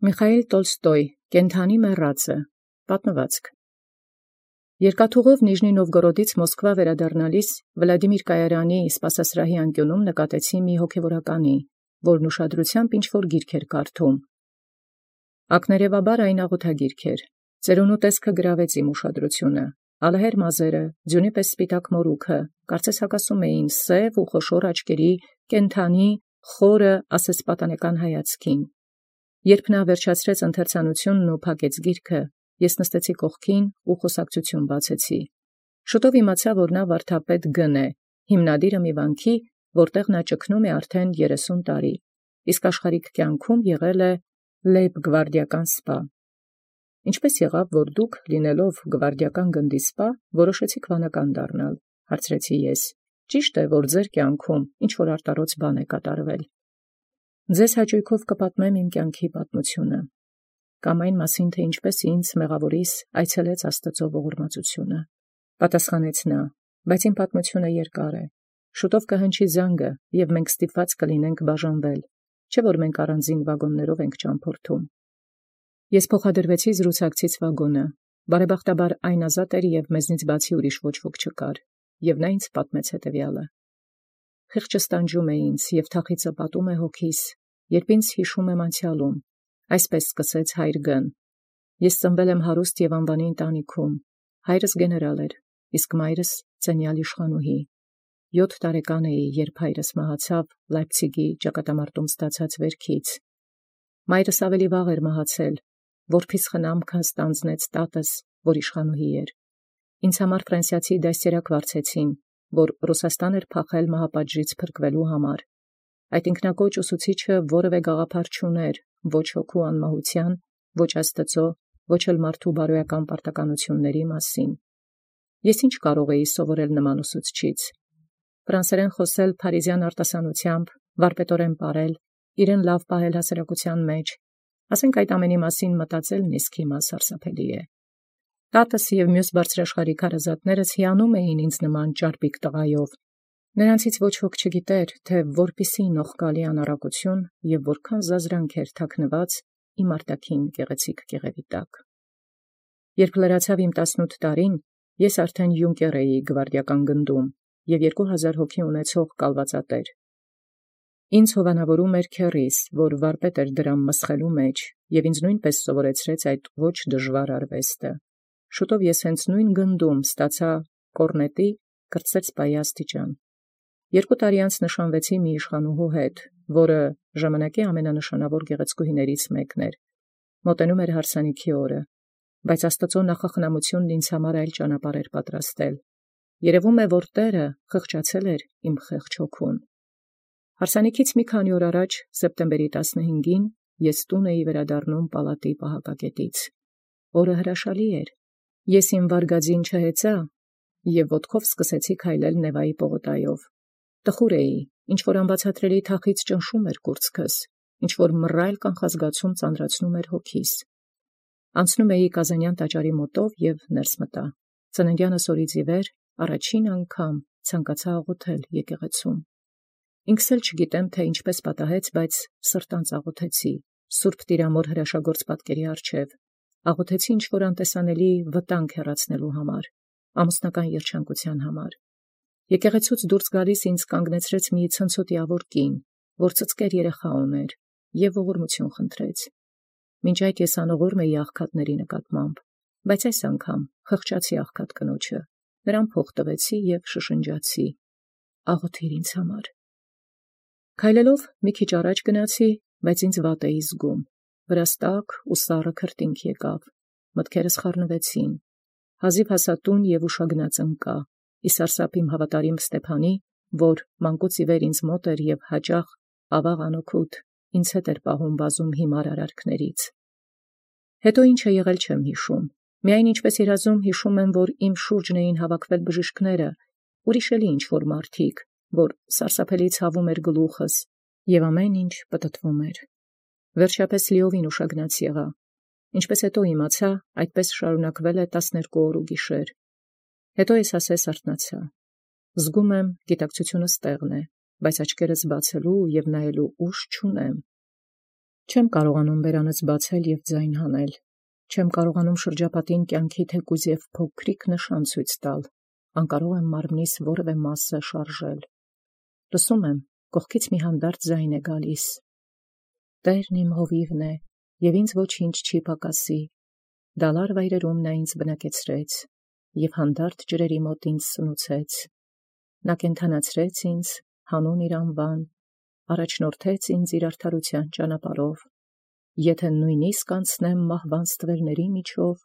Միխայիլ Տոլստոյ Կենդանի մեռածը պատմվածք։ Երկաթուղով Նիժնի Նովգորոդից Մոսկվա վերադառնալիս Վլադիմիր Կայարյանի սպասասրահի անկյունում նկատեցի մի հոգևորականի, որն ուշադրությամբ ինչ-որ գիրք էր կարդում։ Ակներևաբար այն աղոթագիրք էր։ Ծերունու տեսքը գրավեց իմ ուշադրությունը։ Ալահեր մազերը, ձյունի պես սպիտակ մորուքը, կարծես հակասում էին սև ու խոշոր աչքերի կենդանի խորը ասեսպատանեկան հայացքին։ Երբ նա վերջացրեց ընթերցանությունն ու փակեց գիրքը, ես նստեցի կողքին ու խոսակցություն բացեցի։ Շուտով իմացա, որ նա վարդապետ Գ. է, հիմնադիրը մի վանքի, որտեղ նա ճգնում է արդեն 30 տարի, իսկ աշխարհիկ կյանքում եղել է լեյբ-գվարդիական սպա։ Ինչպես եղավ, որ դուք, լինելով գվարդիական գնդի սպա, որոշեցիք վանական դառնալ, հարցրեցի ես։ Ճիշտ է, որ ձեր կյանքում ինչ-որ արտարոց բան է կատարվել։ Ձեզ հաճույքով կպատմեմ իմ կյանքի պատմությունը, կամ այն մասին, թե ինչպես ինձ մեղավորիս այցելեց Աստծո ողորմածությունը, պատասխանեց նա, բայց իմ պատմությունը երկար է, շուտով կհնչի զանգը, և մենք ստիպված կլինենք բաժանվել, չէ՞ որ մենք առանձին վագոններով ենք ճամփորդում։ Ես փոխադրվեցի զրուցակցից վագոնը, բարեբախտաբար այն ազատ էր և մեզնից բացի ուրիշ ոչ ոք չկար, և նա ինձ պատմեց հետևյալը. Խիղճը ստանջում է ինձ և թախիծը պատում է հոգիս, երբ ինձ հիշում եմ անցյալում, այսպես սկսեց հայր Գ-ն. Ես ծնվել եմ հարուստ և անվանի ընտանիքում, հայրս գեներալ էր, իսկ մայրս ծենյալ իշխանուհի։ 7 տարեկան էի, երբ հայրս մահացավ Լայպցիգի ճակատամարտում ստացած վերքից։ Մայրս ավելի վաղ էր մահացել, որբիս խնամքը ստանձնեց տատս, որ իշխանուհի էր։ Ինձ համար ֆրանսիացի դաստիարակ վարձեցին, որ Ռուսաստան էր փախել մահապատժից փրկվելու համար։ Այդ ինքնակոչ ուսուցիչը որևէ գաղափար չուներ ոչ հոգու անմահության, ոչ Աստծո, ոչ էլ մարդու բարոյական պարտականությունների մասին։ Ես ինչ կարող էի սովորել նման ուսուցչից։ Ֆրանսերեն խոսել փարիզյան արտասանությամբ, վարպետորեն պարել, իրեն լավ պահել հասարակության մեջ, ասենք այդ ամենի մասին մտածելն իսկ հիմա սարսափելի է։ Տատս և մյուս բարձրաշխարհիկ հարազատներս հիանում էին ինձ նման ճարպիկ տղայով։ Նրանցից ոչ ոք չգիտեր, թե որպիսի նողկալի անառակություն և որքան զազրանք էր թաքնված իմ արտաքին գեղեցիկ կեղևի տակ։ Երբ լրացավ իմ 18 տարին, ես արդեն յունկեր էի գվարդիական գնդում և 2000 հոգի ունեցող կալվածատեր։ Ինձ հովանավորում էր քեռիս, որ վարպետ էր դրամ մսխելու մեջ, և ինձ նույնպես սովորեցրեց այդ ոչ դժվար արվեստը։ Շուտով ես հենց նույն գնդում ստացա կորնետի կրտսեր սպայի աստիճան։ 2 տարի անց նշանվեցի մի իշխանուհու հետ, որը ժամանակի ամենանշանավոր գեղեցկուհիներից մեկն էր։ Մոտենում էր հարսանիքի օրը, բայց Աստծո նախախնամությունն ինձ համար այլ ճանապարհ էր պատրաստել։ Երևում է, որ Տերը խղճացել էր իմ խեղճ հոգուն։ Հարսանիքից մի քանի օր առաջ, սեպտեմբերի 15-ին, ես տուն էի վերադառնում պալատի պահակակետից։ Օրը հրաշալի էր։ Ես իմ վարգածին չհեծա և ոտքով սկսեցի քայլել Նևայի պողոտայով։ Տխուր էի, ինչ-որ անբացատրելի թախիծ ճնշում էր կուրծքս, ինչ-որ մռայլ կանխազգացում ծանրացնում էր հոգիս։ Անցնում էի Կազանյան տաճարի մոտով և ներս մտա։ Ծննդյանս օրից ի վեր առաջին անգամ ցանկացա աղոթել եկեղեցում։ Ինքս էլ չգիտեմ, թե ինչպես պատահեց, բայց սրտանց աղոթեցի, Սուրբ Տիրամոր հրաշագործ պատկերի առջև, աղոթեցի ինչ-որ անտեսանելի վտանգ հեռացնելու համար, ամուսնական երջանկության համար։ Եկեղեցուց դուրս գալիս ինձ կանգնեցրեց մի ցնցոտիավոր կին, որ ծծկեր երեխա ուներ, և ողորմություն խնդրեց։ Մինչ այդ ես անողորմ էի աղքատների նկատմամբ, բայց այս անգամ խղճացի աղքատ կնոջը, նրան փող տվեցի և շշնջացի. «Աղոթիր ինձ համար»։ Քայլելով մի քիչ առաջ գնացի, բայց ինձ վատ էի զգում, վրաս տաք ու սառը քրտինք եկավ, մտքերս խառնվեցին, հազիվ հասա տուն և ուշագնաց ընկա, ի սարսափ իմ հավատարիմ Ստեփանի, որ մանկուց ի վեր ինձ մոտ էր և հաճախ ավաղ անօգուտ ինձ հետ էր պահում բազում հիմար արարքներից։ Հետո ինչ է եղել չեմ հիշում, միայն ինչպես երազում հիշում եմ, որ իմ շուրջն էին հավաքվել բժիշկները, ուրիշ էլի ինչ-որ մարդիկ, որ սարսափելի ցավում էր գլուխս, և ամեն ինչ պտտվում էր։ Վերջապես լիովին ուշագնաց եղա, ինչպես հետո իմացա, այդպես շարունակվել է 12 օր ու գիշեր։ Հետո ես ասես արթնացա։ Զգում եմ, գիտակցությունս տեղն է, բայց աչքերս բացելու և նայելու ուժ չունեմ։ Չեմ կարողանում բերանս բացել և ձայն հանել, չեմ կարողանում շրջապատին կյանքի թեկուզ և փոքրիկ նշան ցույց տալ, անկարող եմ մարմնիս որևէ մասը շարժել։ Լսում եմ, կողքից մի հանդարտ ձայն է գալիս. Տերն իմ հովիվն է, և ինձ ոչինչ չի պակասի, դալար վայրերում նա ինձ բնակեցրեց, և հանդարտ ջրերի մոտ ինձ սնուցեց, նա կենդանացրեց ինձ, հանուն իր անվան, առաջնորդեց ինձ իր արդարության ճանապարհով, եթե նույնիսկ անցնեմ մահվան ստվերների միջով,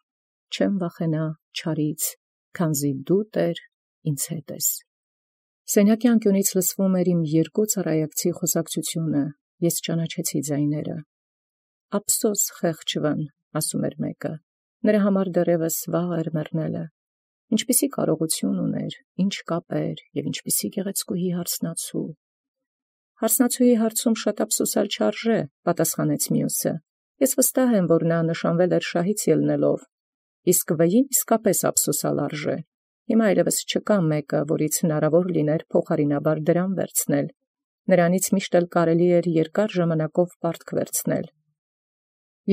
չեմ վախենա չարից, քանզի դու, Տեր, ինձ հետ ես։ Սենյակի անկյունից լսվում էր իմ երկու ծառայակցի խոսակցությունը, ես ճանաչեցի ձայները։ Ափսոս խեղճվն, ասում էր մեկը, նրա համար դեռևս վաղ էր մեռնելը, ինչպիսի կարողություն ուներ, ինչ կապեր և ինչպիսի գեղեցկուհի հարսնացու։ Հարսնացուի հարցում շատ ափսոսալ չարժե, պատասխանեց մյուսը, ես վստահ եմ, որ նա նշանվել էր շահից ելնելով, իսկ վային իսկապես ափսոսալ արժե, հիմա այլևս չկա մեկը, որից հնարավոր լիներ փոխարինաբար դրամ վերցնել, նրանից միշտ էլ կարելի էր երկար ժամանակով պարտք վերցնել։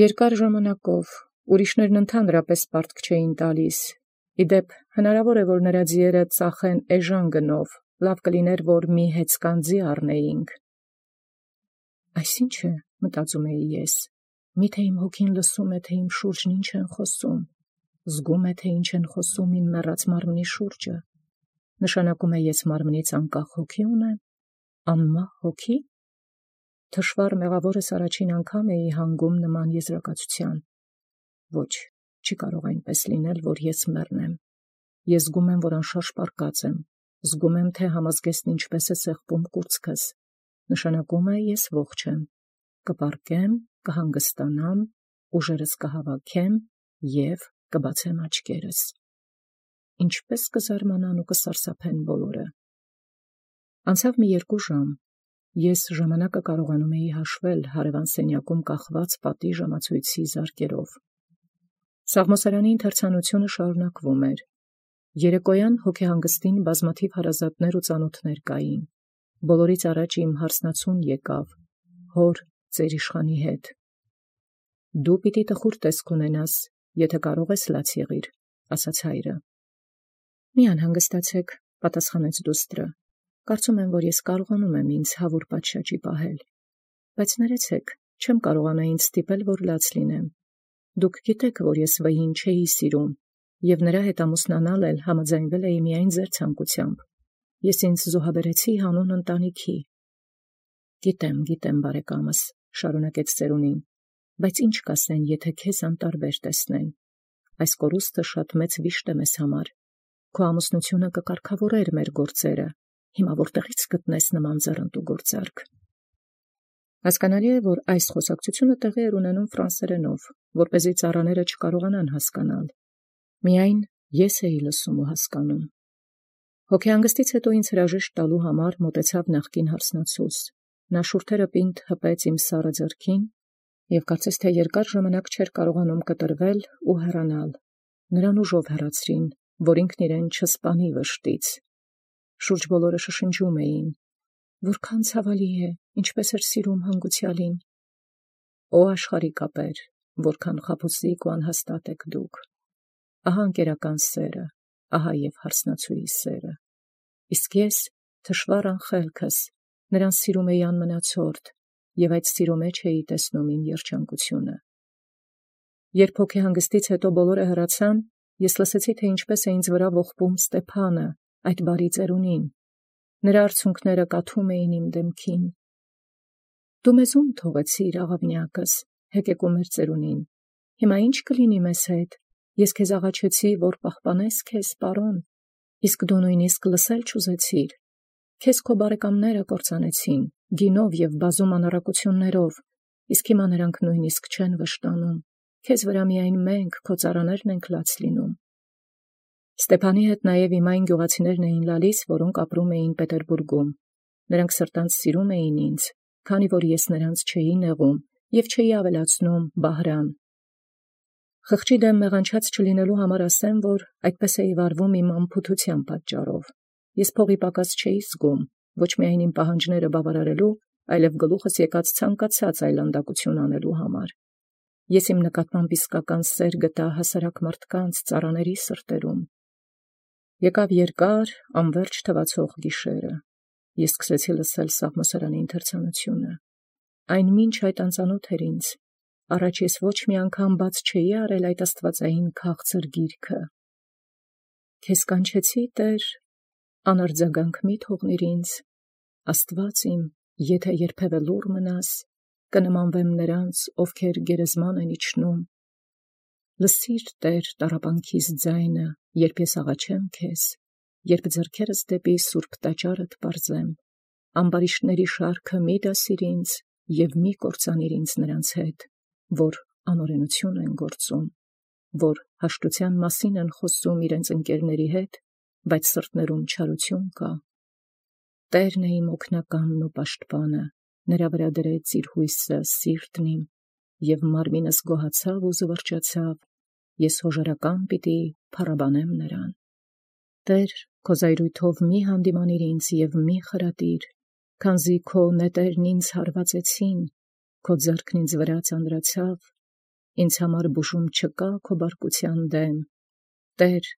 Երկար ժամանակով, ուրիշներն ընդհանրապես պարտք չէին տալիս, իդեպ հնարավոր է, որ նրա ձիերը ծախեն էժան գնով, լավ կլիներ, որ մի հեծկանձի առնեինք։ Այսինչ է, մտածում էի ես, միթե իմ հոգին լսում է, թե իմ շուրջն ինչ են խոսում, զգում է, թե ինչ են խոսում իմ մեռած մարմնի շուրջը, նշանակում է ես մարմնից անկախ հոգի ունեմ, անմահ հոգի։ Թշվառ մեղավորս առաջին անգամ էի հանգում նման եզրակացության։ Ոչ, չի կարող այնպես լինել, որ ես մեռնեմ։ Ես զգում եմ, որ անշարժ պառկած եմ, զգում եմ, թե համազգեստն ինչպես է սեղմում կուրծքս, նշանակում է ես ողջ եմ, կպառկեմ, կհանգստանամ, ուժերս կհավաքեմ և կբացեմ աչքերս։ Ինչպես կզարմանան ու կսարսափեն բոլորը։ Անցավ մի 2 ժամ, ես ժամանակը կարողանում էի հաշվել հարևան սենյակում կախված պատի ժամացույցի զարկերով։ Սաղմոսարանի ընթերցանությունը շարունակվում էր։ Երեկոյան հոգեհանգստին բազմաթիվ հարազատներ ու ծանոթներ կային։ Բոլորից առաջ իմ հարսնացուն եկավ, հոր ծեր իշխանի հետ։ Դու պիտի տխուր տեսք ունենաս, եթե կարող ես լաց եղիր, ասաց հայրը։ Մի անհանգստացեք, պատասխանեց դուստրը։ Կարծում եմ, որ ես կարողանում եմ ինձ հավուր պատշաճի պահել, բայց ներեցեք, չեմ կարողանա ինձ ստիպել, որ լաց լինեմ։ Դուք գիտեք, որ ես վային չէի սիրում, և նրա հետ ամուսնանալ էլ համաձայնվել էի միայն ձեր ցանկությամբ։ Ես ինձ զոհաբերեցի հանուն ընտանիքի։ Գիտեմ, բարեկամս, շարունակեց ծերունին, բայց ինչ կասեն, եթե քեզ անտարբեր տեսնեն։ Այս կորուստը շատ մեծ վիշտ է մեզ համար։ Քո ամուսնությունը կկարգավորեր մեր գործերը։ Հիմա որտեղից գտնես նման ձեռնտու գործարք։ Հասկանալի է, որ այս խոսակցությունը տեղի էր ունենում ֆրանսերենով, որպեսզի ծառաները չկարողանան հասկանալ։ Միայն ես էի լսում ու հասկանում։ Հոգեհանգստից հետո ինձ հրաժեշտ տալու համար մոտեցավ նախկին հարսնացուս։ Նա շուրթերը պինդ հպեց իմ սառը ձեռքին և կարծես թե երկար ժամանակ չէր կարողանում կտրվել ու հեռանալ։ Նրան ուժով հեռացրին, որ ինքն իրեն չսպանի վշտից։ Շուրջ բոլորը շշնջում էին. որքան ցավալի է, ինչպես էր սիրում հանգուցյալին։ Օ աշխարհի կապեր, որքան խաբուսիկ ու անհաստատ եք դուք։ Ահա ընկերական սերը, ահա և հարսնացուի սերը։ Իսկ ես, թշվառ անխելքս, նրան սիրում էի անմնացորդ, և այդ սիրո մեջ էի տեսնում իմ երջանկությունը։ Երբ հոգեհանգստից հետո բոլորը հեռացան, ես լսեցի, թե ինչպես է ինձ վրա ողբում Ստեփանը, այդ բարի ծերունին։ Նրա արցունքները կաթում էին իմ դեմքին։ Դու մեզ ում թողեցիր, աղավնյակս, հեկեկում էր ծերունին։ Հիմա ինչ կլինի մեզ հետ։ Ես քեզ աղաչեցի, որ պահպանես քեզ, պարոն, իսկ դու նույնիսկ լսել չուզեցիր։ Քեզ քո բարեկամները կործանեցին, գինով և բազում անառակություններով, իսկ հիմա նրանք նույնիսկ չեն վշտանում։ Քեզ վրա միայն մենք, քո ծառաներն ենք լաց լինում։ Ստեփանի հետ նաև իմ այն գյուղացիներն էին լալիս, որոնք ապրում էին Պետերբուրգում։ Նրանք սրտանց սիրում էին ինձ, քանի որ ես նրանց չէի նեղում և չէի ավելացնում Բահրան։ Խղճի դեմ մեղանչած չլինելու համար ասեմ, որ այդպես էի վարվում իմ անփութության պատճառով։ Ես փողի պակաս չէի զգում, ոչ միայն իմ պահանջները բավարարելու, այլև գլուխս եկած ցանկացած այլանդակություն անելու համար։ Ես իմ նկատմամբ իսկական սեր գտա հասարակ մարդկանց ծառաների սրտերում։ Եկավ երկար, անվերջ թվացող գիշերը։ Ես սկսեցի լսել սաղմոսարանի ընթերցանությունը։ Այն մինչ այդ անծանոթ էր ինձ, առաջ ես ոչ մի անգամ բաց չէի արել այդ աստվածային քաղցր գիրքը։ Քեզ կանչեցի, Տեր, անարձագանք մի թողնիր ինձ, Աստված իմ, եթե երբևէ լուռ մնաս, կնմանվեմ նրանց, ովքեր գերեզման են իջնում։ Լսիր, Տեր, տառապանքիս ձայնը, երբ ես աղաչեմ քեզ, երբ ձեռքերս դեպի սուրբ տաճարդ պարզեմ, ամբարիշտների շարքը մի դասիր ինձ և մի կործանիր ինձ նրանց հետ, որ անօրենություն են գործում, որ հաշտության մասին են խոսում իրենց ընկերների հետ, բայց սրտներում չարություն կա։ Տերն է իմ օգնականն ու պաշտպանը, նրա վրա դրեց իր հույսը սիրտն իմ, և մարմինս գոհացավ ու զվարճացավ, ես հոժարական պիտի փառաբանեմ նրան։ Տեր, քո զայրույթով մի հանդիմանիր ինձ և մի խրատիր, քանզի քո նետերն ինձ հարվածեցին, քո ձեռքն ինձ վրա ծանրացավ, ինձ համար բուժում չկա քո բարկության դեմ։ Տեր,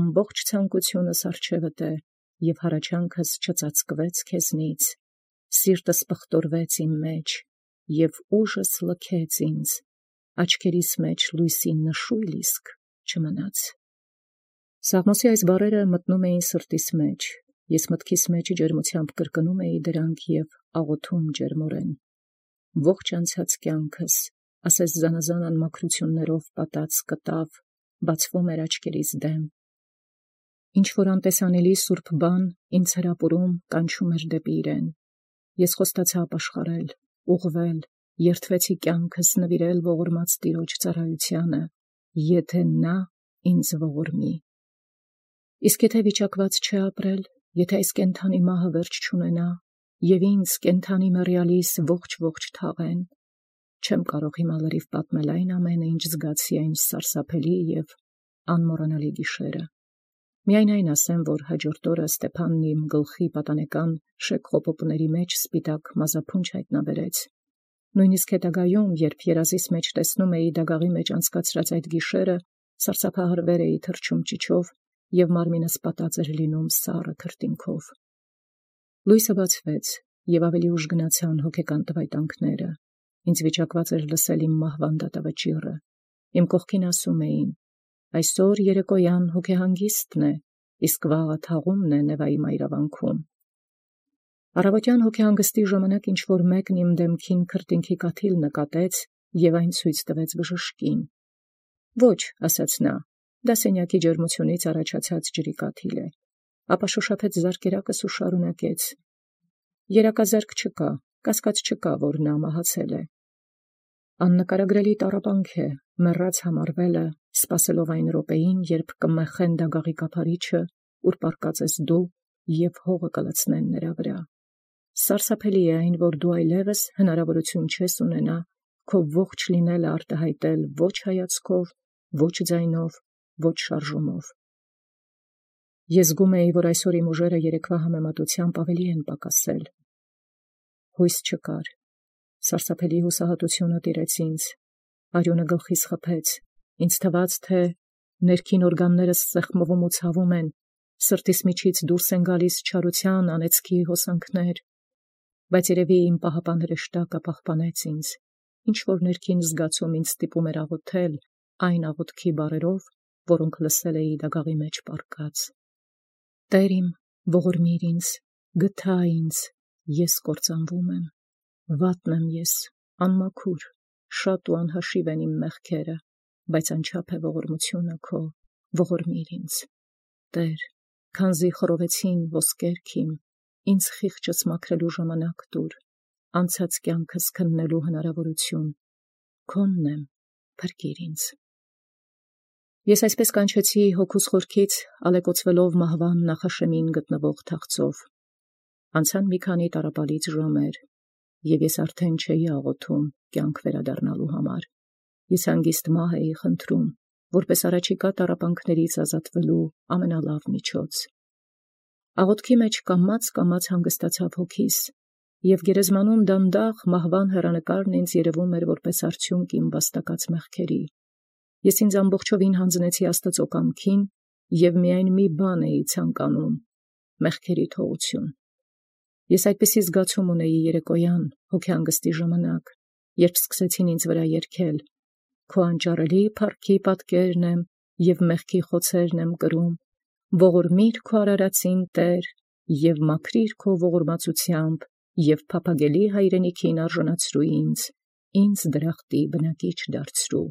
ամբողջ ցանկությունս առջևդ է, և հառաչանքս չծածկվեց քեզնից, սիրտս պղտորվեց իմ մեջ, և ուժս լքեց ինձ, աչքերիս մեջ լույսի նշույլ իսկ չմնաց։ Սաղմոսի այս բառերը մտնում էին սրտիս մեջ, ես մտքիս մեջ ջերմությամբ կրկնում էի դրանք և աղոթում ջերմորեն։ Ողջ անցած կյանքս, ասես զանազան անմաքրություններով պատած կտավ, բացվում էր աչքերիս դեմ։ Ինչ-որ անտեսանելի սուրբ բան ինձ հրապուրում կանչում էր դեպի իրեն։ Ես խոստացա ապաշխարել, ուղղվել, երդվեցի կյանքս նվիրել ողորմած Տիրոջ ծառայությանը, եթե նա ինձ ողորմի։ Իսկ եթե վիճակված չէ ապրել, եթե այս կենդանի մահը վերջ չունենա, և ինձ կենդանի մեռյալիս ողջ թաղեն, չեմ կարող հիմա լրիվ պատմել այն ամենը, ինչ զգացի այն սարսափելի և անմոռանալի գիշերը։ Միայն այն ասեմ, որ հաջորդ օրը Ստեփանն իմ գլխի պատանեկան շեկ խոպոպների մեջ սպիտակ մազափունչ հայտնաբերեց։ Նույնիսկ հետագայում, երբ երազիս մեջ տեսնում էի դագաղի մեջ անցկացրած այդ գիշերը, սարսափահարվեր էի թռչում ճիչով, և մարմինս պատած էր լինում սառը քրտինքով։ Լույսը բացվեց, և ավելի ուշ գնացան հոգեկան տվայտանքները։ Ինձ վիճակված էր լսել իմ մահվան դատավճիռը։ Իմ կողքին ասում էին. այսօր երեկոյան հոգեհանգիստն է, իսկ վաղը թաղումն է Նևայի մայրավանքում։ Առավոտյան հոգեհանգստի ժամանակ ինչ-որ մեկն իմ դեմքին քրտինքի կաթիլ նկատեց և այն ցույց տվեց բժշկին։ Ոչ, ասաց նա, դա սենյակի ջերմությունից առաջացած ջրի կաթիլ է, ապա շոշափեց զարկերակս ու շարունակեց. երակազարկ չկա, կասկած չկա, որ նա մահացել է։ Աննկարագրելի տառապանք է, մեռած համարվելը, սպասելով այն րոպեին, երբ կմեխեն դագաղի կափարիչը, ուր պառկած ես դու, և հողը կլցնեն նրա վրա։ Սարսափելի է այն, որ դու այլևս հնարավորություն չես ունենա քո ողջ լինելը արտահայտել ոչ հայացքով, ոչ ձայնով, ոչ շարժումով։ Ես զգում էի, որ այսօր իմ ուժերը երեկվա համեմատությամբ ավելի են պակասել։ Հույս չկար։ Սարսափելի հուսահատությունը տիրեց ինձ, արյունը գլխիս խփեց, ինձ թվաց, թե ներքին օրգաններս սեղմվում ու ցավում են, սրտիս միջից դուրս են գալիս չարության անեծքի հոսանքներ, բայց երևի իմ պահապան հրեշտակը պահպանեց ինձ, ինչ-որ ներքին զգացում ինձ ստիպում էր աղոթել այն աղոթքի բառերով, որոնք լսել էի դագաղի մեջ պառկած. Տեր իմ, ողորմիր ինձ, գթա ինձ, ես կործանվում եմ, վատն եմ ես, անմաքուր, շատ ու անհաշիվ են իմ մեղքերը, բայց անչափ է ողորմությունը քո, ողորմիր ինձ։ Տեր, քանզի խռովեցին ոսկերք իմ, ինձ խիղճս մաքրելու ժամանակ տուր, անցած կյանքս քննելու հնարավորություն, քոնն եմ, փրկիր ինձ։ Ես այսպես կանչեցի հոգուս խորքից, ալեկոծվելով մահվան նախաշեմին գտնվող թախծով։ Անցան մի քանի տառապալից ժամեր, և ես արդեն չէի աղոթում կյանք վերադառնալու համար։ Ես հանգիստ մահ էի խնդրում, որպես առաջիկա տառապանքներից ազատվելու ամենալավ միջոց։ Աղոթքի մեջ կամաց հանգստացավ հոգիս, և գերեզմանում դանդաղ մահվան հեռանկարն ինձ երևում էր որպես արդյունք իմ վաստակած մեղքերի։ Ես ինձ ամբողջովին հանձնեցի Աստծո կամքին և միայն մի բան էի ցանկանում՝ մեղքերի թողություն։ Ես այդպիսի զգացում ունեի երեկոյան հոգեհանգստի ժամանակ, երբ սկսեցին ինձ վրա երգել. «Քո անճարելի փառքի պատկերն եմ և մեղքի խոցերն եմ կրում, ողորմիր քո արարածին Տեր և մաքրիր քո ողորմածությամբ և փափագելի հայրենիքին արժանացրու ինձ դրախտի բնակիչ դարձրու»։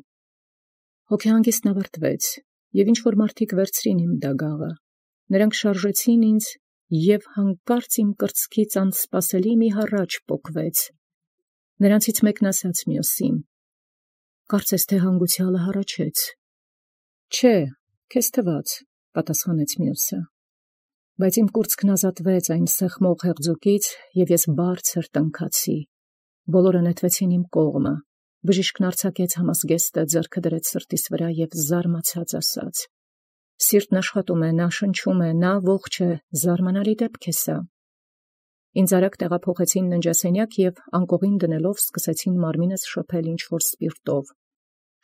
Հոգեհանգիստն ավարտվեց, և ինչ-որ մարդիկ վերցրին իմ դագաղը, նրանք շարժեցին ինձ, և հանկարծ իմ կրծքից անսպասելի մի հառաչ պոկվեց։ Նրանցից մեկն ասաց մյուսին. «Կարծես թե հանգուցյալը հառաչեց»։ «Չէ, քեզ թվաց», պատասխանեց մյուսը։ Բայց իմ կուրծքն ազատվեց այն սեղմող հեղձուկից, և ես բարձր տնքացի։ Բոլորը նետվեցին իմ կողմը։ Բժիշկն արձակեց համազգեստը, ձեռքը դրեց սրտիս վրա և զարմացած ասաց. «Սիրտն աշխատում է, նա շնչում է, նա ողջ է, զարմանալի դեպք է սա»։ Ինձ արագ տեղափոխեցին ննջասենյակ և անկողին դնելով սկսեցին մարմինս շփել ինչ-որ սպիրտով։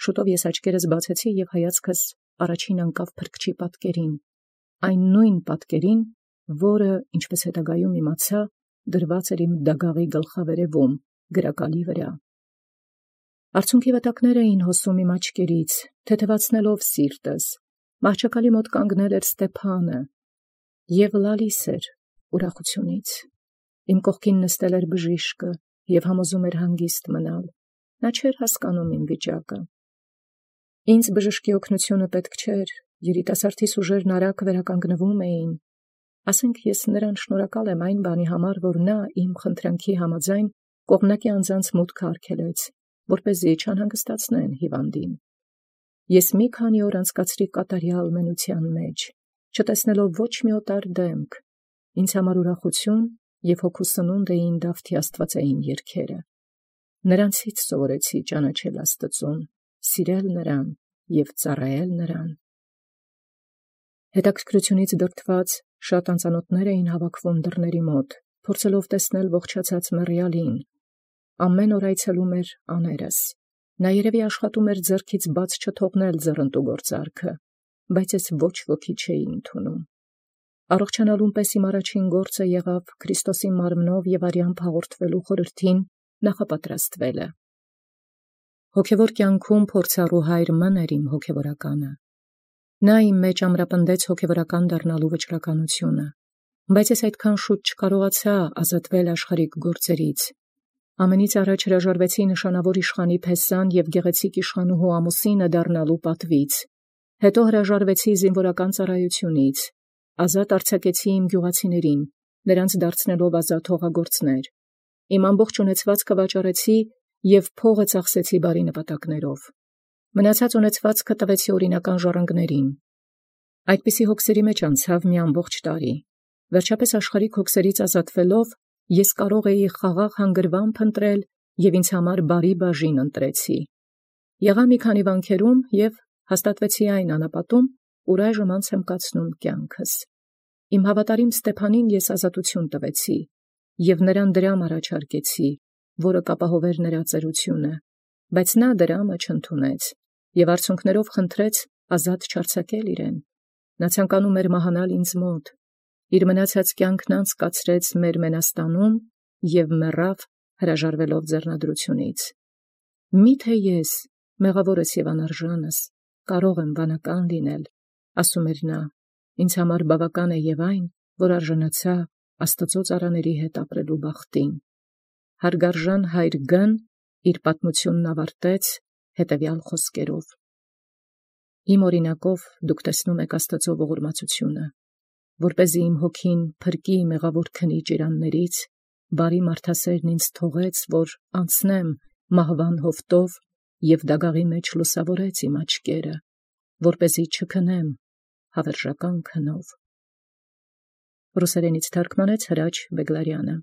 Շուտով ես աչքերս բացեցի և հայացքս առաջին անկավ փրկչի պատկերին, այն նույն պատկերին, որը, ինչպես հետագայում իմացա, դրված էր իմ դագաղի գլխավերևում, գրակալի վրա։ Արցունքի վտակներ էին հոսում իմ աչքերից, թեթևացնելով սիրտս։ Մահճակալի մոտ կանգնել էր Ստեփանը և լալիս էր ուրախությունից։ Իմ կողքին նստել էր բժիշկը և համոզում էր հանգիստ մնալ։ Նա չէր հասկանում իմ վիճակը։ Ինձ բժշկի օգնությունը պետք չէր, երիտասարդիս ուժերն արագ վերականգնվում էին։ Ասենք ես նրան շնորհակալ եմ այն բանի համար, որ նա իմ խնդրանքի համաձայն կողմնակի անձանց մուտքը արգելեց, որպեսզի չանհանգստացնեն հիվանդին։ Ես մի քանի օր անցկացրի կատարյալ մենության մեջ, չտեսնելով ոչ մի օտար դեմք։ Ինձ համար ուրախություն և հոգու սնունդ էին Դավթի աստվածային երգերը։ Նրանցից սովորեցի ճանաչել Աստծուն, սիրել նրան և ծառայել նրան։ Հետաքրքրությունից դրդված շատ անծանոթներ էին հավաքվում դռների մոտ, փորձելով տեսնել ողջացած մեռյալին։ Ամեն օր այցելում էր աներս։ Նա երևի աշխատում էր ձեռքից բաց չթողնել ձեռնտու գործարքը, բայց ես ոչ ոքի չէի ընդունում։ Առողջանալուն պես իմ առաջին գործը եղավ Քրիստոսի մարմնով և արյամբ հաղորդվելու խորհրդին նախապատրաստվելը։ Հոգևոր կյանքում փորձառու հայր Մն էր իմ հոգևորականը։ Նա իմ մեջ ամրապնդեց հոգևորական դառնալու վճռականությունը, բայց ես այդքան շուտ չկարողացա ազատվել աշխարհիկ գործերից։ Ամենից առաջ հրաժարվեցի նշանավոր իշխանի փեսան և գեղեցիկ իշխանուհու ամուսինը դառնալու պատվից։ Հետո հրաժարվեցի զինվորական ծառայությունից, ազատ արձակեցի իմ գյուղացիներին, նրանց դարձնելով ազատ հողագործներ։ Իմ ամբողջ ունեցվածքը վաճառեցի և փողը ծախսեցի բարի նպատակներով։ Մնացած ունեցվածքը տվեցի օրինական ժառանգներին։ Այդպիսի հոգսերի մեջ անցավ մի ամբողջ տարի։ Վերջապես աշխարհիկ հոգսերից ազատվելով, ես կարող էի խաղաղ հանգրվան փնտրել և ինձ համար բարի բաժին ընտրեցի։ Եղա մի քանի վանքերում և հաստատվեցի այն անապատում, ուր այժմ անց եմ կացնում կյանքս։ Իմ հավատարիմ Ստեփանին ես ազատություն տվեցի և նրան դրամ առաջարկեցի, որը կապահովեր նրա ծերությունը, բայց նա դրամը չընդունեց և արցունքներով խնդրեց ազատ չարձակել իրեն։ Նա ցանկանում էր մահանալ ինձ մոտ։ Իր մնացած կյանքն անցկացրեց մեր Մենաստանում և մեռավ հրաժարվելով ձեռնադրությունից։ Միթե ես, մեղավորս և անարժանս, կարող եմ վանական լինել, ասում էր նա, ինձ համար բավական է և այն, որ արժանացա Աստծո ծառաների հետ ապրելու բախտին։ Հարգարժան հայր Գ-ն իր պատմությունն ավարտեց հետևյալ խոսքերով. Իմ օրինակով դուք տեսնում եք Աստծո ողորմածությունը, որպեսզի իմ հոգին փրկի մեղավոր քնի ճիրաններից, բարի մարդասերն ինձ թողեց, որ անցնեմ մահվան հովտով և դագաղի մեջ լուսավորեց իմ աչքերը, որպեսզի չքնեմ հավերժական քնով։ Ռուսերենից թարգմանեց Հրաչ Բեգլարյանը։